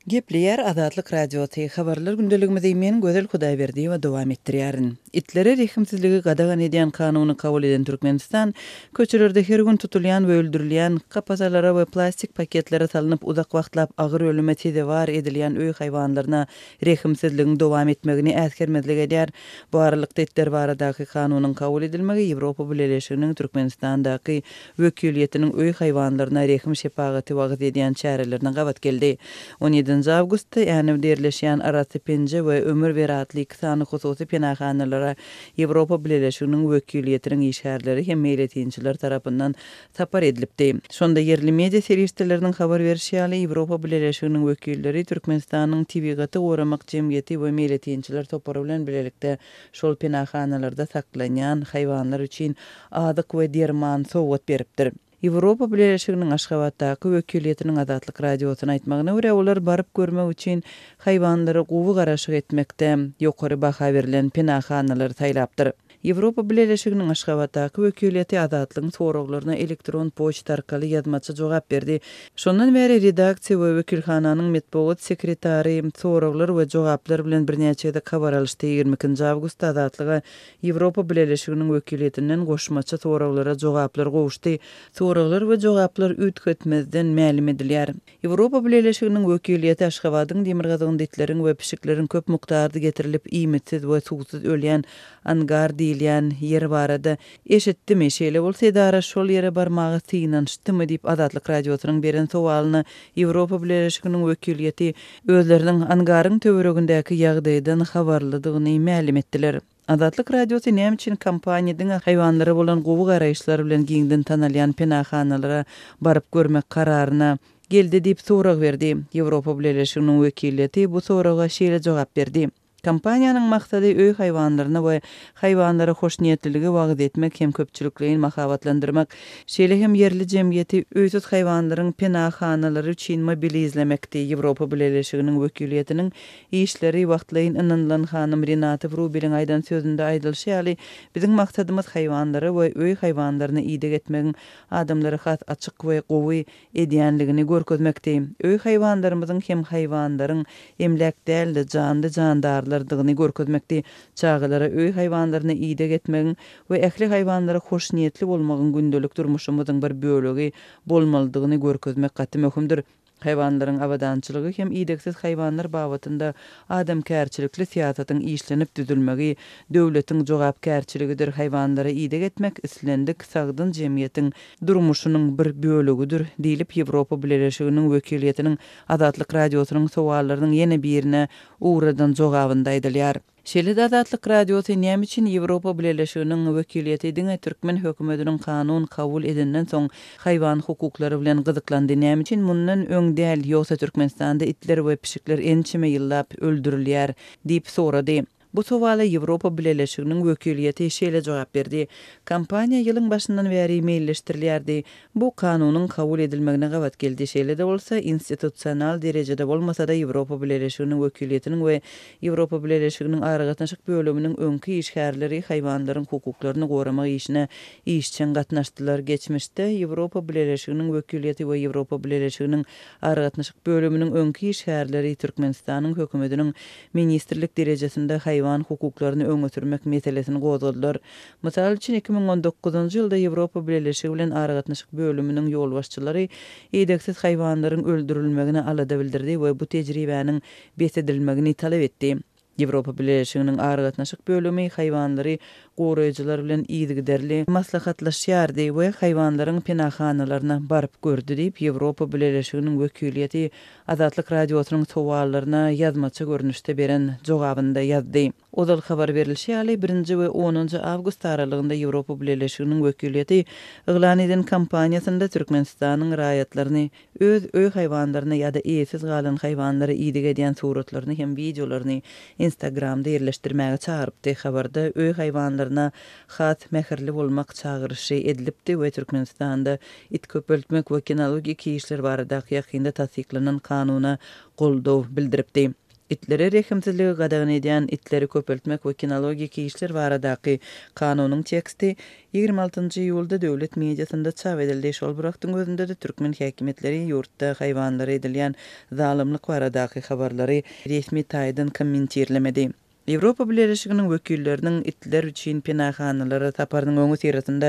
Gepleýär Azatlyk Radiosy, Habarlar gündeligimizi men Gözel Hudaýberdiýewa dowam etdirýärin. Itlere rehimsizligi gadagan edýän kanuny kabul eden Türkmenistan, köçelerde her gün tutulýan we öldürilýän, kapasalara we plastik paketlere salnyp uzak wagtlap agyr ölüme sezewar edilýän öý haýwanlaryna rehimsizligiň dowam etmegini äsgermezlik edýär. Bu aralykda itler baradaky kanunyň kabul edilmegi Ýewropa Bileleşiginiň Türkmenistandaky wekiliýetiniň öý haýwanlaryna rehim-şepagaty wagyz edýän çärelerine gabat geldi. On ýedinji awgustda Änewde ýerleşýän Arasy Penje we Ömür ber atly iki sany hususy penahanalara Ýewropa Bileleşiginiň wekiliýetiniň işgärleri hem meýletinçiler tarapyndan sapar edilipdi. Şonda ýerli media serişdeleriniň habar berşi ýaly, Ýewropa Bileleşiginiň wekilleri Türkmenistanyň Tebigaty goramak jemgyýeti we meýletinçiler topary bilen bilelikde şol penahanalarda saklanýan haýwanlar üçin azyk we derman sowgat beripdir. Ýewropa Bileleşiginiň Aşgabatdaky wekiliýetiniň Azatlyk Radiosyna aýtmagyna görä, olar baryp görmek üçin haýwanlara gowy garaşyk etmekde ýokary baha berlen penahanalary saýlapdyr. Ýewropa Bileleşiginiň Aşgabatdaky wekiliýeti Azatlygyň soraglaryna elektron poçta arkaly ýazmaça jogap berdi. Şondan bäri redaksiýa we wekilhananyň metbugat sekretary soraglar we jogaplar bilen birnäçe gezek habar alyşdy. 22-nji awgustda Azatlyga Ýewropa Bileleşiginiň wekiliýetinden goşmaça soraglara jogaplar gowuşdy. Soraglar we jogaplar üýtgetmezden mälim edilýär. Ýewropa Bileleşiginiň wekiliýeti Aşgabadyň demirgazygynda itleriň we pişikleriň köp mukdarda getirilip iýmitsiz we suwsuz ölýän angar diýilýän ýer barada eşitdimi, şeýle bolsa edara şol ýere barmaga synanyşdymy diýip Azatlyk Radiosynyň beren sowalyna Ýewropa Bileleşiginiň wekiliýeti özleriniň angaryň töweregindäki ýagdaýdan habarlydygyny mälim etdiler. Azatlyk Radiosy näme üçin kompaniýa diňe haýwanlara bolan gowy garaýyşlar bilen giňden tanalýan penahanalara baryp görmek kararyna geldi diýip sorag berdi. Ýewropa Bileleşiginiň wekiliýeti bu soraga şeýle jogap berdi, Kompaniýanyň maksady öý haýwanlaryna we haýwanlara hoşniýetliligi wagyz etmek hem köpçülikleýin mahabatlandyrmak, şeýle hem ýerli jemgyýeti öýsüz haýwanlaryň penahanalary üçin mobilizlemekdi. Ýewropa Bileleşiginiň wekiliýetiniň Işleri wagtlaýyn ynanylan hanym Renata Wrubeliň aýdan sözünde aýdylyşy ýaly, biziň maksadymyz haýwanlara we öý haýwanlaryna ideg etmegiň adamlary has açyk we gowy edýänligini görkezmekdi. Öý haýwanlarymyzyň hem haýwanlaryň emläk däl-de, janly-jandarlardygyny görkezmekdi. Çagalara öý haýwanlaryna ideg etmegiň we ähli haýwanlara hoşniýetli bolmagyň gündelik durmuşymyzyň bir bölegi bolmalydygyny görkezmek gaty möhümdir. Haýwanlaryň abadançylygy hem idegsiz haýwanlar babatynda adamkärçilikli syýasatyň işlenip düzülmegi döwletiň jogapkärçiligidir. Haýwanlara ideg etmek islendik sagdyn jemgyýetiň durmuşynyň bir bölegidir, diýlip, Ýewropa Bileleşiginiň wekiliýetiniň Azatlyk Radiosynyň sowallarynyň ýene birine ugradan jogabynda aýdylýar. Şeýle-de Azatlyk Radiosy näme üçin Ýewropa Bileleşiginiň wekiliýeti diňe türkmen hökümetiniň kanun kabul edenden soň haýwan hukuklary bilen gyzyklandy, näme üçin mundan öň däl, ýogsa Türkmenistanda itler we pişikler ençeme ýyllap öldürilýär diýip sorady. Bu sowala Ýewropa Bileleşiginiň wekiliýeti şeýle jogap berdi, Kampaniýa ýylyň başyndan bäri meýilleşdirilýärdi. Bu kanunyň kabul edilmegine gabat geldi. Şeýle-de bolsa, institusional derejede bolmasa-da Ýewropa Bileleşiginiň wekiliýetiniň we Ýewropa Bileleşiginiň aragatnaşyk bölüminiň öňki işgärleri haýwanlaryň hukuklaryny goramak işine işjeň gatnaşdylar. Geçmişde Ýewropa Bileleşiginiň wekiliýeti we Ýewropa Bileleşiginiň aragatnaşyk bölüminiň öňki işgärleri Türkmenistanyň hökümetiniň ministrlik derejesinde haýwan hukuklaryny öňe sürmek meselesini gozgadylar. Mysal üçin, 2019-njy ýylda Ýewropa Bileleşigi bilen aragatnaşyk bölüminiň ýolbaşçylary idegsiz haýwanlaryň öldürilmegine alada bildirdi we bu tejribäniň bes edilmegini talap etdi. Ýewropa Bileleşiginiň aragatnaşyk bölümi haýwanlary goraýjylar bilen yzygiderli maslahatlaşýardy we haýwanlaryň penahanalaryna baryp gördi diýip, Ýewropa Bileleşiginiň wekiliýeti Azatlyk Radiosynyň sowallaryna ýazmaça görnüşde beren jogabynda ýazdy. Ozal habar berlişi ýaly, birinji we onunjy awgust aralygynda Ýewropa Bileleşiginiň wekiliýeti yglan eden kampaniýasynda Türkmenistanyň raýatlaryny öz öý haýwanlaryna ýa-da eýesiz galan haýwanlara ideg edýän suratlaryny hem wideolaryny Instagramda ýerleşdirmäge çagyrypdy. Habarda öý haýwanlaryna has mähirli bolmak çagyryşy edilipdi we Türkmenistanda it köpeltmek we kinologik işler baradaky ýakynda tassyklanan kanuna goldaw bildiripdi. Itlere rehimsizligi gadagan edýän Itleri köpeltmek we kinologik işler baradaky kanunyň teksti 26 njy iýulda döwlet mediasynda çap edildi. Şol bir wagtyň özünde-de türkmen häkimiýetleri ýurtda haýwanlara edilýän zalymlyk baradaky habarlary resmi taýdan kommentirlemedi. Ýewropa Bileleşiginiň wekilleriniň itler üçin penahanalara saparynyň öňüsyrasynda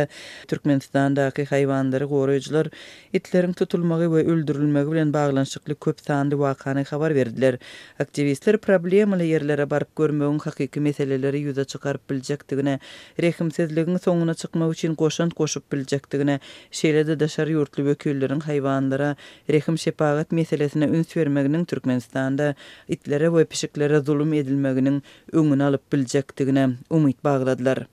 Türkmenistandaky haýwanlary goraýjylar itleriň tutulmagy we öldürilmegi bilen baglanyşykly köp sanly wakany habar berdiler. Aktiwistler problemaly ýerlere baryp görmegiň hakyky meseleleri ýüze çykaryp biljekdigine, rehimsizligiň soňuna çykmak üçin goşant goşup biljekdigine, şeýle-de daşary ýurtly wekilleriň haýwanlara rehim-şepagat meselesine üns bermeginiň Türkmenistanda itlere we pişiklere zulum edilmeginiň öňüni alyp biljekdigine umyt bagladylar.